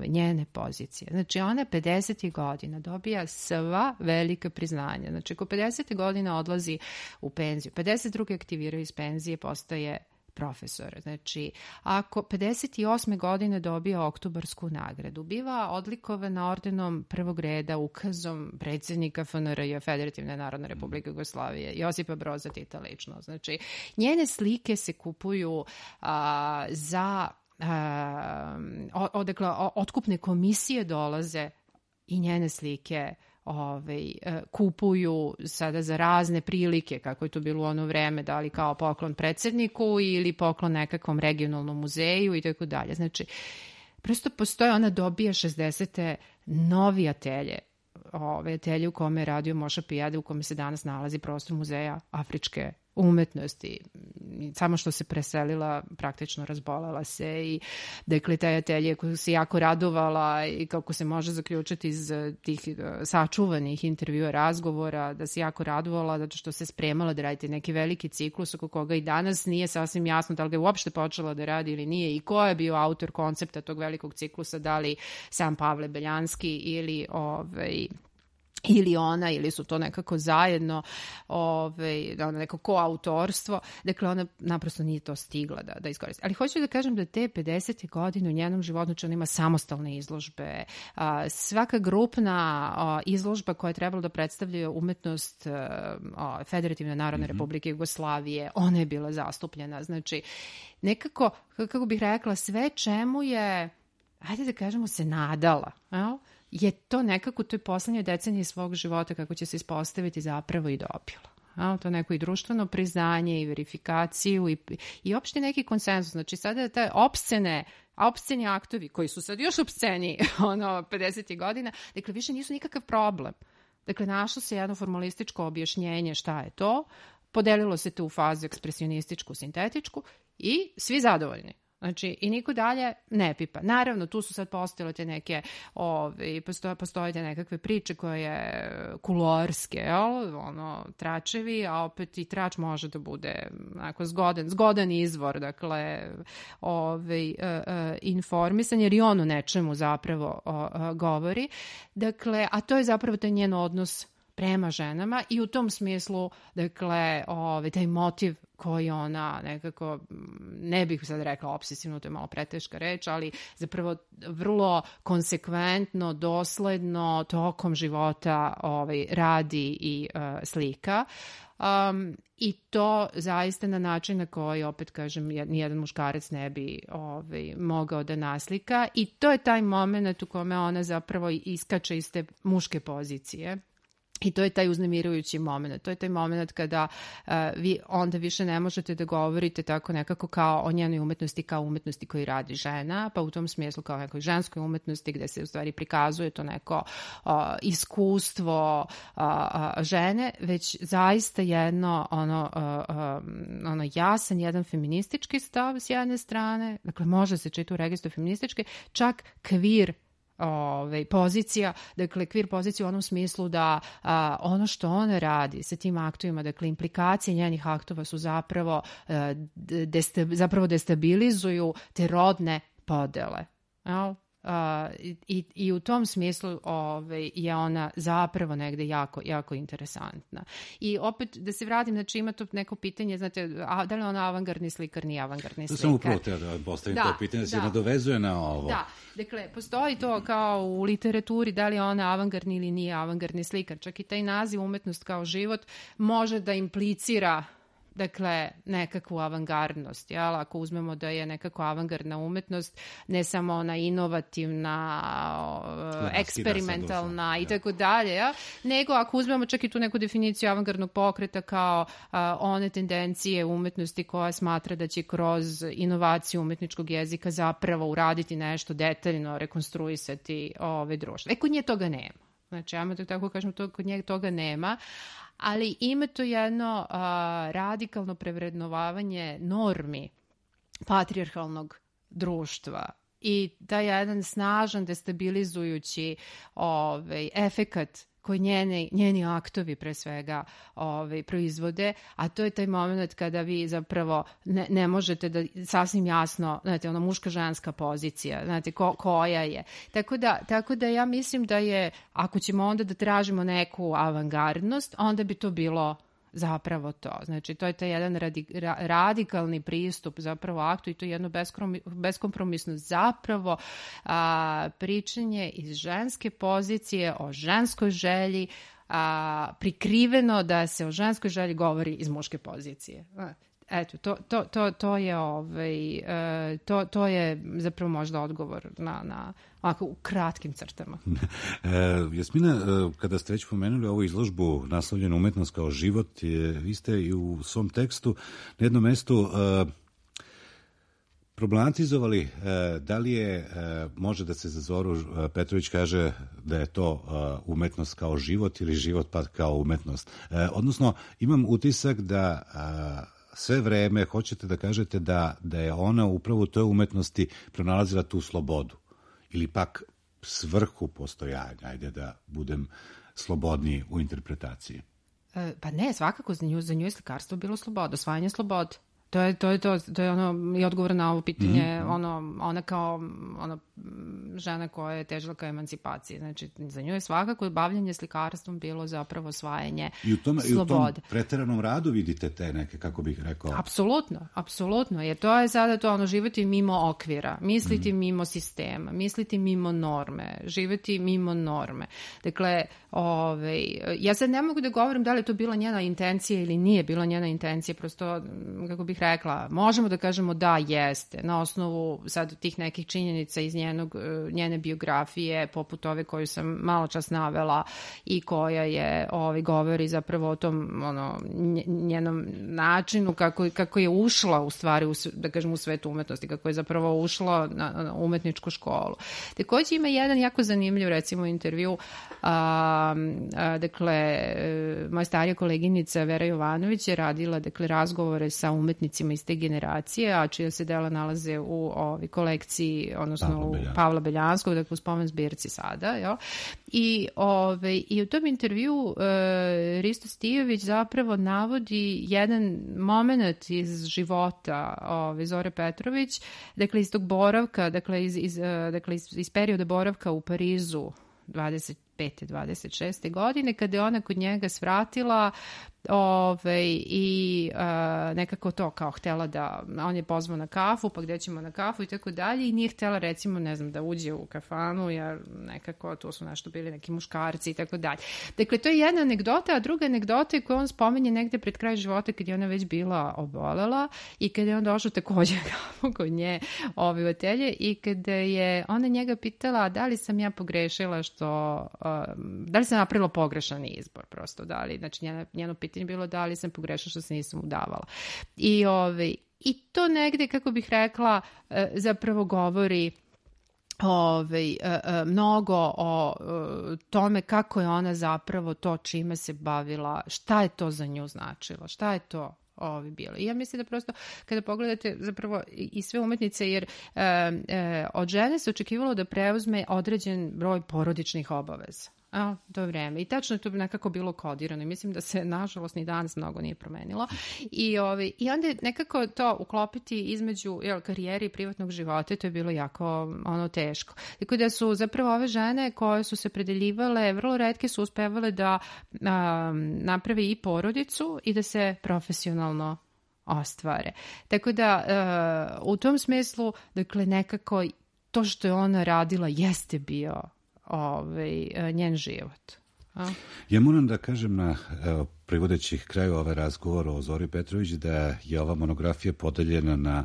njene pozicije. Znači, ona 50. godina dobija sva velika priznanja. Znači, ako 50. godina odlazi u penziju, 52. aktiviraju iz penzije, postaje profesor. Znači, ako 58. godine dobija Oktobarsku nagradu, biva odlikovana ordenom prvog reda, ukazom predsjednika FNRJ, Federativne Narodne Republike Jugoslavije, Josipa Broza Tita lično. Znači, njene slike se kupuju za otkupne komisije dolaze i njene slike kupuju sada za razne prilike, kako je to bilo u ono vreme, da li kao poklon predsjedniku ili poklon nekakvom regionalnom muzeju i tako dalje. Znači, prosto postoje, ona dobija 60. novi atelje, atelje u kome je radio Moša Pijade, u kome se danas nalazi prostor Muzeja afričke umetnosti. Samo što se preselila, praktično razbolela se i dakle taj atelje koju se jako radovala i kako se može zaključiti iz tih sačuvanih intervjua, razgovora, da se jako radovala zato što se spremala da radite neki veliki ciklus oko koga i danas nije sasvim jasno da li ga je uopšte počela da radi ili nije i ko je bio autor koncepta tog velikog ciklusa, da li sam Pavle Beljanski ili ona, ili su to nekako zajedno neko koautorstvo. Dakle, ona naprosto nije to stigla da iskoristi. Ali hoću da kažem da te 50. godine u njenom životu, znači ona ima samostalne izložbe. Svaka grupna izložba koja je trebala da predstavlja umetnost Federativne Narodne Republike Jugoslavije, ona je bila zastupljena. Znači, nekako, kako bih rekla, sve čemu je, ajde da kažemo, se nadala, je to nekako u toj poslednjoj deceniji svog života, kako će se ispostaviti, zapravo i dobila. To neko i društveno priznanje i verifikaciju i opšte neki konsenzus. Znači sada taj opsceni aktovi koji su sad još opsceniji 50. godina, dakle više nisu nikakav problem. Dakle, našlo se jedno formalističko objašnjenje šta je to, podelilo se to u fazu ekspresionističku, sintetičku i svi zadovoljni. Znači, i niko dalje ne pipa. Naravno, tu su sad postojale te neke, postoje te nekakve priče koje kuloarske, tračevi, a opet i trač može da bude zgodan izvor, dakle, informisan, jer i on o nečemu zapravo govori. Dakle, a to je zapravo taj njen odnos prema ženama i u tom smislu, dakle, taj motiv koji ona nekako, ne bih sad rekla obsesivno, to je malo preteška reč, ali zapravo vrlo konsekventno, dosledno tokom života radi i slika. I to zaista na način na koji, opet kažem, nijedan muškarac ne bi mogao da naslika. I to je taj moment u kome ona zapravo iskače iz te muške pozicije I to je taj uznemirujući moment. To je taj moment kada vi onda više ne možete da govorite tako nekako kao o njenoj umetnosti, kao umetnosti koju radi žena, pa u tom smislu kao nekoj ženskoj umetnosti gde se u stvari prikazuje to neko iskustvo žene, već zaista jedno ono jasan, jedan feministički stav s jedne strane, dakle može se čiti u registru feminističke, čak kvir pozicija, dakle kvir pozicija u onom smislu da ono što ona radi sa tim aktovima, dakle implikacije njenih aktova su zapravo destabilizuju te rodne podele. I u tom smislu je ona zapravo negde jako, jako interesantna. I opet da se vratim, znači ima to neko pitanje, znate, da li ona avangardni slikar, nije avangardni slikar? Samo upravo da postavim to pitanje, da se nadovezuje na ovo. Da, dakle, postoji to kao u literaturi, da li je ona avangardni ili nije avangardni slikar. Čak i taj naziv umetnost kao život može da implicira dakle, nekakvu avangardnost, jel? Ako uzmemo da je nekako avangardna umetnost, ne samo ona inovativna, eksperimentalna i tako dalje, nego ako uzmemo čak i tu neku definiciju avangardnog pokreta kao one tendencije umetnosti koja smatra da će kroz inovaciju umetničkog jezika zapravo uraditi nešto detaljno, rekonstruisati društvo. Kod nje toga nema. Znači, ja tako kažem, kod nje toga nema, ali ima to jedno radikalno prevrednovavanje normi patrijarhalnog društva i taj jedan snažan destabilizujući efekat koji njeni aktovi pre svega proizvode, a to je taj moment kada vi zapravo ne možete da sasvim jasno, znate, ona muška-ženska pozicija, znate, koja je. Tako da ja mislim da je, ako ćemo onda da tražimo neku avangardnost, onda bi to bilo zapravo to. Znači, to je taj jedan radikalni pristup zapravo aktu i to je jedno beskompromisno zapravo pričanje iz ženske pozicije o ženskoj želji, prikriveno da se o ženskoj želji govori iz muške pozicije. Eto, to je zapravo možda odgovor na ovako u kratkim crtama. Jasmina, kada ste već pomenuli ovu izložbu naslovljenu Umetnost kao život, vi ste i u svom tekstu na jednom mestu problematizovali da li je, može da se za Zoru Petrović kaže da je to umetnost kao život ili život pa kao umetnost. Odnosno, imam utisak da sve vreme hoćete da kažete da je ona upravo u toj umetnosti pronalazila tu slobodu ili pak svrhu postojanja, ajde da budem slobodniji u interpretaciji. Pa ne, svakako za nju je slikarstvo bilo sloboda, osvajanje slobode. To je ono i odgovor na ovo pitanje, ona kao žena koja je težila ka emancipaciji. Znači, za nju je svakako bavljanje slikarstvom bilo zapravo osvajanje slobode. I u tom preteranom radu vidite te neke, kako bih rekao... Apsolutno, jer to je sada to živjeti mimo okvira, misliti mimo sistema, misliti mimo norme, živjeti mimo norme. Dakle, ja sad ne mogu da govorim da li je to bila njena intencija ili nije bila njena intencija, prosto, kako bih rekla, možemo da kažemo da jeste, na osnovu sad tih nekih činjenica iz njene biografije, poput ove koju sam malo čas navela i koja je govori zapravo o tom njenom načinu kako je ušla u stvari, da kažem, u svet umetnosti, kako je zapravo ušla na umetničku školu. Takođe ima jedan jako zanimljiv, recimo, intervju, dakle, moja starija koleginica Vera Jovanović je radila, dakle, razgovore sa umetnicima iz te generacije, a čija se dela nalaze u kolekciji, odnosno u Pavla Beljanskog, dakle u spomen zbirci sada, jel? I u tom intervju Risto Stijović zapravo navodi jedan moment iz života Zore Petrović, dakle iz tog boravka, dakle iz perioda boravka u Parizu 25. 26. godine, kada je ona kod njega svratila i nekako to kao htela da, on je pozvao na kafu, pa gde ćemo na kafu i tako dalje i nije htela recimo, ne znam, da uđe u kafanu jer nekako tu su nešto bili neki muškarci i tako dalje. Dakle, to je jedna anegdota, a druga anegdota je koju on spomenje negde pred kraj života kad je ona već bila obolela i kada je on došao takođe kod nje u atelje i kada je ona njega pitala da li sam ja pogrešila da li sam napravila pogrešan izbor prosto, da li, znači njeno pitanje bilo da li sam pogrešila što se nisam udavala. I to negde, kako bih rekla, zapravo govori mnogo o tome kako je ona zapravo to čime se bavila, šta je to za nju značilo, šta je to bilo. I ja mislim da prosto kada pogledate zapravo i sve umetnice, jer od žene se očekivalo da preuzme određen broj porodičnih obaveza. To vreme. I tačno je to nekako bilo kodirano i mislim da se nažalost ni danas mnogo nije promenilo. I onda nekako to uklopiti između karijere i privatnog života, to je bilo jako teško. Tako da su zapravo ove žene koje su se predeljivale, vrlo retke su uspevale da naprave i porodicu i da se profesionalno ostvare. Tako da u tom smislu, dakle, nekako to što je ona radila jeste bio njen život. Ja moram da kažem privodeći kraju ove razgovora o Zori Petrović da je ova monografija podeljena na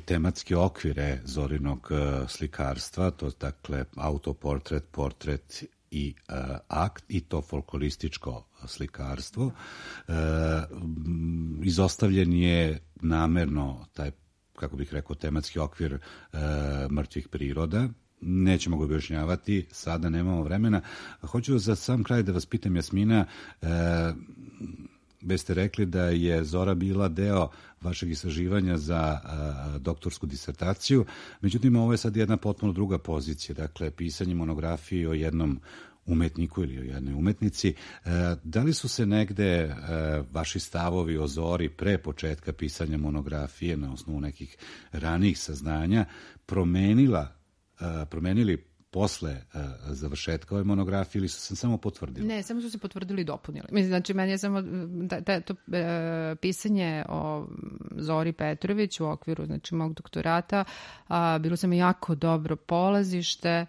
tematske okvire Zorinog slikarstva, to je dakle autoportret, portret i akt, i to folklorističko slikarstvo. Izostavljen je namerno taj, kako bih rekao, tematski okvir mrtvih priroda. Nećemo ga objašnjavati, sada nemamo vremena. Hoću za sam kraj da vas pitam, Jasmina, već ste rekli da je Zora bila deo vašeg istraživanja za doktorsku disertaciju, međutim ovo je sad jedna potpuno druga pozicija, dakle pisanje monografije o jednom umetniku ili o jednoj umetnici. Da li su se negde vaši stavovi o Zori pre početka pisanja monografije na osnovu nekih ranijih saznanja promenili posle završetka ove monografije ili su se samo potvrdili? Ne, samo su se potvrdili i dopunili. Mislim, znači, meni je samo to pisanje o Zori Petrović u okviru, znači, mog doktorata bilo sam jako dobro polazište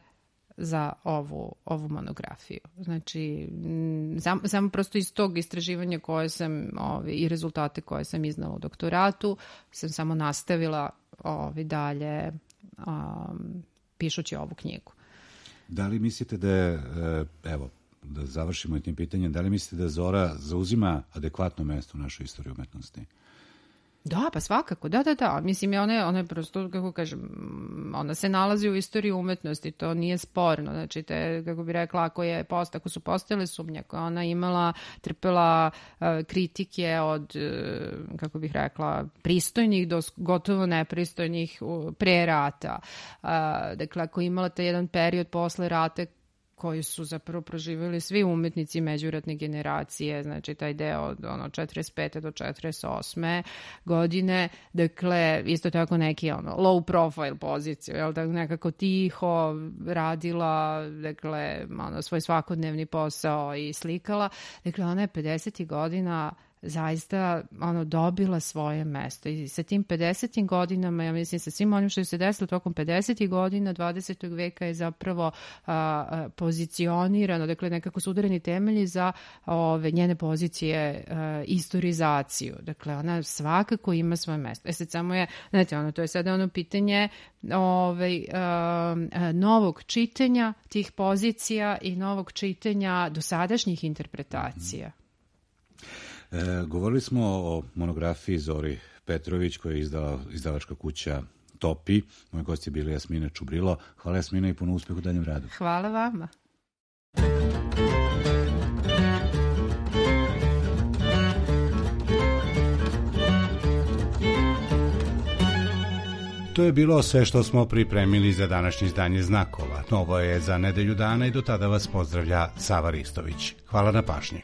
za ovu monografiju. Znači, samo prosto iz tog istraživanja koje sam i rezultate koje sam iznala u doktoratu sam samo nastavila dalje pišući ovu knjigu. Da li mislite da je, evo, da završimo tim pitanjem, da li mislite da Zora zauzima adekvatno mesto u našoj istoriji umetnosti? Da, pa svakako, da. Mislim, ona je prosto, kako kažem, ona se nalazi u istoriji umetnosti, to nije sporno. Znači, kako bi rekla, ako su postojale sumnje, ako je ona trpela kritike od, kako bih rekla, pristojnih do gotovo nepristojnih pre rata. Dakle, ako je imala taj jedan period posle rata koji su zapravo proživjeli svi umetnici međuratne generacije, znači taj deo od 45. do 48. godine, dakle, isto tako neki low profile poziciju, nekako tiho radila, dakle, svoj svakodnevni posao i slikala. Dakle, ona je 50. godina zaista dobila svoje mesto i sa tim 50. godinama, ja mislim sa svim onim što se desilo tokom 50. godina 20. veka je zapravo pozicionirano, dakle nekako su udareni temelji za njene pozicije, istorizaciju. Dakle, ona svakako ima svoje mesto. Sad samo je, znate, to je sada pitanje novog čitanja tih pozicija i novog čitanja dosadašnjih interpretacija. Govorili smo o monografiji Zori Petrović koju je izdala izdavačka kuća Topi. Moji gosti je bili Jasmina Čubrilo. Hvala, Jasmina, i puno uspjeha u daljem radu. Hvala vama. To je bilo sve što smo pripremili za današnje izdanje Znakova. Novo je za nedelju dana i do tada vas pozdravlja Sava Ristović. Hvala na pažnji.